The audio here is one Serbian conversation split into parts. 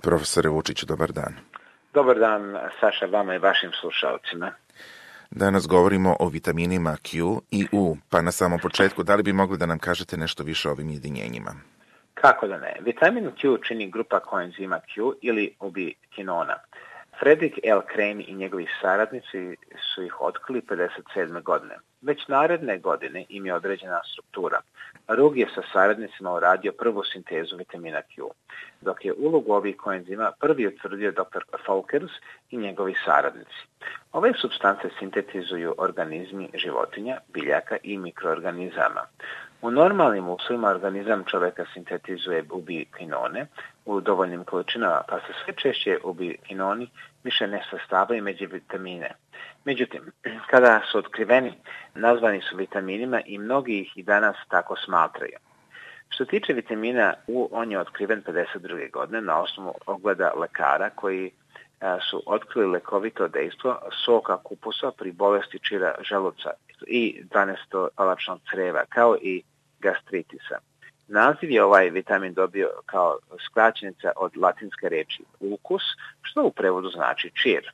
Profesore Vučiću, dobar dan. Dobar dan, Saša, vama i vašim slušalcima. Danas govorimo o vitaminima Q i U, pa na samom početku, da li bi mogli da nam kažete nešto više o ovim jedinjenjima? Kako da ne? Vitamin Q čini grupa koenzima Q ili ubiquinona. Frederick L. Crane i njegovi saradnici su ih otkrili 57. godine. Već naredne godine im je određena struktura. Rug je sa saradnicima uradio prvu sintezu vitamina Q, dok je ulogu ovih koenzima prvi utvrdio dr. Folkers i njegovi saradnici. Ove supstance sintetizuju organizmi životinja, biljaka i mikroorganizama. U normalnim uslovima organizam čoveka sintetizuje ubiquinone u dovoljnim količinama, pa se sve češće ubiquinoni više ne sastavaju među vitamine. Međutim, kada su otkriveni, nazvani su vitaminima i mnogi ih i danas tako smatraju. Što tiče vitamina U, on je otkriven 52. godine na osnovu ogleda lekara koji su otkrili lekovito dejstvo soka kupusa pri bolesti čira želuca i 12-palačnog creva, kao i gastritisa. Naziv je ovaj vitamin dobio kao skraćenica od latinske reči ukus, što u prevodu znači čir.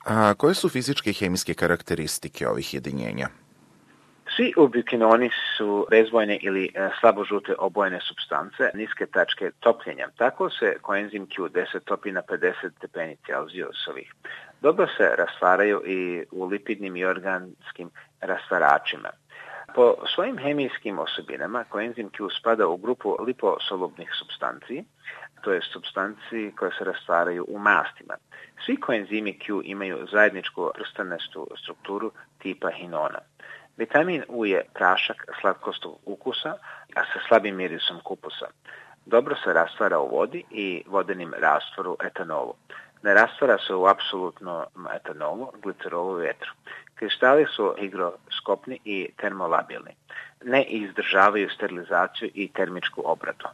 A koje su fizičke i hemijske karakteristike ovih jedinjenja? Svi ubiquinoni su bezbojne ili slabožute obojene supstance niske tačke topljenja. Tako se koenzim Q10 topi na 50 stepeni Celzijusovih. Dobro se rastvaraju i u lipidnim i organskim rastvaračima. Po svojim hemijskim osobinama koenzim Q spada u grupu liposolubnih supstanci, to je supstanci koje se rastvaraju u mastima. Svi koenzimi Q imaju zajedničku prstanestu strukturu tipa hinona. Vitamin U je prašak slatkostog ukusa, a sa slabim mirisom kupusa. Dobro se rastvara u vodi i vodenim rastvoru etanolu. Ne rastvara se u apsolutnom etanolu, glicerolu i vetru. Kristali su higroskopni i termolabilni. Ne izdržavaju sterilizaciju i termičku obradu.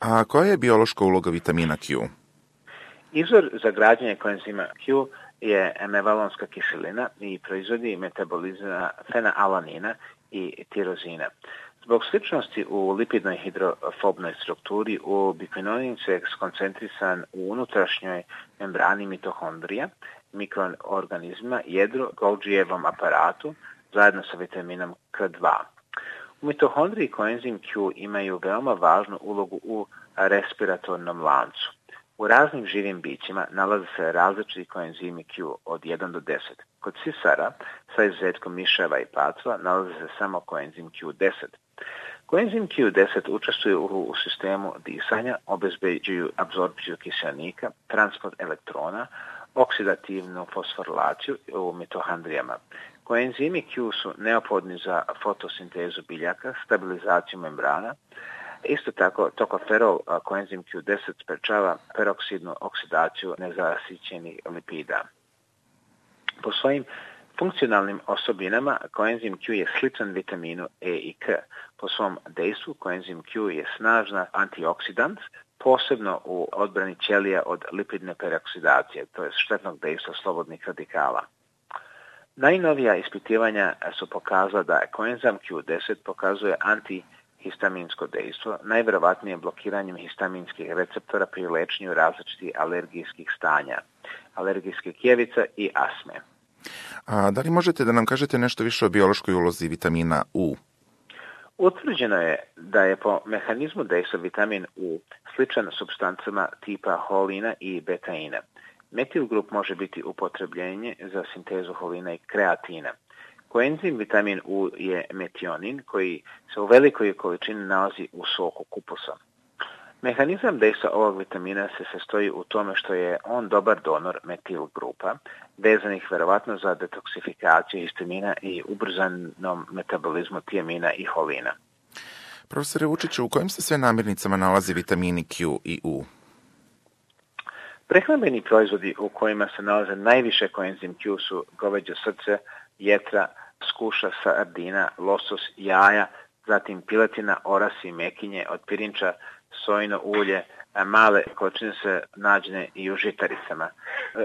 A koja je biološka uloga vitamina Q? Izvor za građenje koenzima Q je mevalonska kiselina i proizvodi metabolizma fenaalanina i tirozina. Zbog sličnosti u lipidnoj hidrofobnoj strukturi, ubiquinonin se skoncentrisan u unutrašnjoj membrani mitohondrija, mikroorganizma, jedru, Golgijevom aparatu, zajedno sa vitaminom K2. U mitohondriji koenzim Q imaju veoma važnu ulogu u respiratornom lancu. U raznim živim bićima nalaze se različiti koenzimi Q od 1 do 10. Kod sisara, sa izuzetkom miševa i pacova, nalaze se samo koenzim Q10. Koenzim Q10 učestvuje u sistemu disanja, obezbeđuju apsorpciju kiselnika, transport elektrona, oksidativnu fosforilaciju u mitohondrijama. Koenzimi Q su neophodni za fotosintezu biljaka, stabilizaciju membrana. Isto tako, tokoferol koenzim Q10 sprečava peroksidnu oksidaciju nezasićenih lipida. Po svojim funkcionalnim osobinama koenzim Q je sličan vitaminu E i K. Po svom dejstvu koenzim Q je snažna antioksidant, posebno u odbrani ćelija od lipidne peroksidacije, to je štetnog dejstva slobodnih radikala. Najnovija ispitivanja su pokazala da koenzim Q10 pokazuje antihistaminsko dejstvo, najverovatnije blokiranjem histaminskih receptora pri lečenju različitih alergijskih stanja, alergijske kijevica i asme. A da li možete da nam kažete nešto više o biološkoj ulozi vitamina U? Utvrđeno je da je po mehanizmu dejstva vitamin U sličan supstancama tipa holina i betaina. Metil grup može biti upotrebljenje za sintezu holina i kreatina. Koenzim vitamin U je metionin koji se u velikoj količini nalazi u soku kupusa. Mehanizam dejstva ovog vitamina se sastoji u tome što je on dobar donor metil grupa, vezanih verovatno za detoksifikaciju histamina i ubrzanom metabolizmu tiamina i holina. Profesore Vučiću, u kojim se sve namirnicama nalazi vitamini Q i U? Prehrambeni proizvodi u kojima se nalaze najviše koenzim Q su goveđe srce, jetra, skuša, sardina, losos, jaja, zatim piletina, orasi, mekinje, od pirinča, sojino ulje, male količine se nađene i u žitaricama.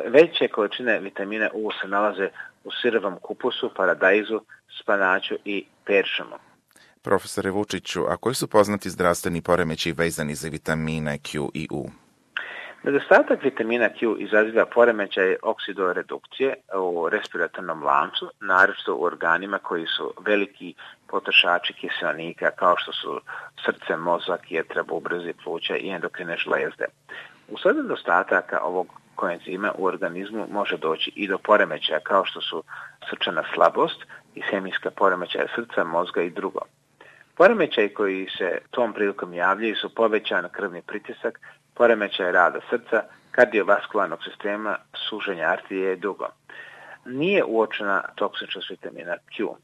Veće količine vitamina U se nalaze u sirovom kupusu, paradajzu, spanaću i peršamu. Profesore Vučiću, a koji su poznati zdravstveni poremećaji vezani za vitamine Q i U? Nedostatak vitamina Q izaziva poremećaje oksidoredukcije u respiratornom lancu, naročito u organima koji su veliki potrošači kiseonika kao što su srce, mozak, jetra, bubrezi, pluća i endokrine žlezde. Usled nedostataka ovog koenzima u organizmu može doći i do poremećaja kao što su srčana slabost, ishemijska poremećaja srca, mozga i drugo. Poremećaji koji se tom prilikom javljaju su povećan krvni pritisak, poremećaj rada srca, kardiovaskularnog sistema, suženja arterije i drugo. Nije uočena toksičnost vitamina Q.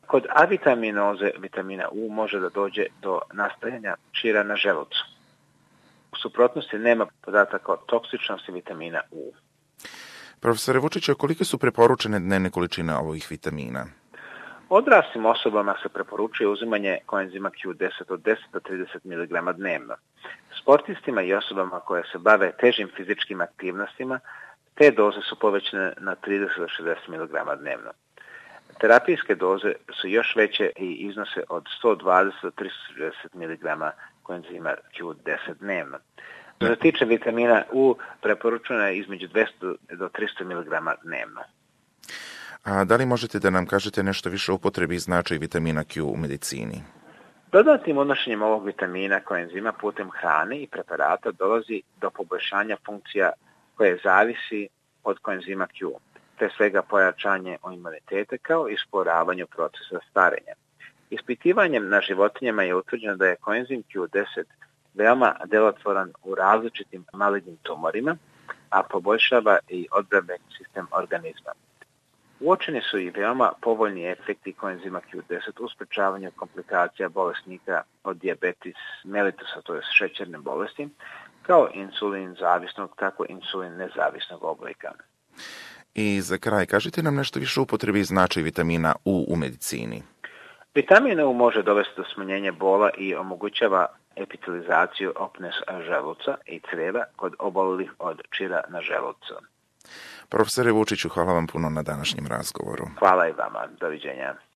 Kod avitaminoze vitamina U može da dođe do nastajanja čira na želucu. U suprotnosti nema podataka o toksičnosti vitamina U. Profesore Vučiću, kolike su preporučene dnevne količine ovih vitamina? Odraslim osobama se preporučuje uzimanje koenzima Q10 od 10 do 30 mg dnevno. Sportistima i osobama koje se bave težim fizičkim aktivnostima, te doze su povećane na 30 do 60 mg dnevno. Terapijske doze su još veće i iznose od 120 do 360 mg koenzima Q10 dnevno. Što se tiče vitamina U, preporučeno je između 200 do 300 mg dnevno. A da li možete da nam kažete nešto više o upotrebi i značaju vitamina Q u medicini? Dodatnim unošenjem ovog vitamina koenzima putem hrane i preparata dolazi do poboljšanja funkcija koje zavisi od koenzima Q, te svega pojačanje imuniteta kao i usporavanju procesa starenja. Ispitivanjem na životinjama je utvrđeno da je koenzim Q10 veoma delotvoran u različitim malignim tumorima, a poboljšava i odbrambeni sistem organizma. Uočeni su i veoma povoljni efekti koenzima Q10 u sprečavanju komplikacija bolesnika od dijabetes mellitusa, to je šećerne bolesti, kao insulin zavisnog, tako insulin nezavisnog oblika. I za kraj, kažite nam nešto više o upotrebi i značaju vitamina U medicini. Vitamin U može dovesti do smanjenja bola i omogućava epitelizaciju opne želuca i crijeva kod obolelih od čira na želucu. Profesore Vučiću, hvala vam puno na današnjem razgovoru. Hvala i vama. Doviđenja.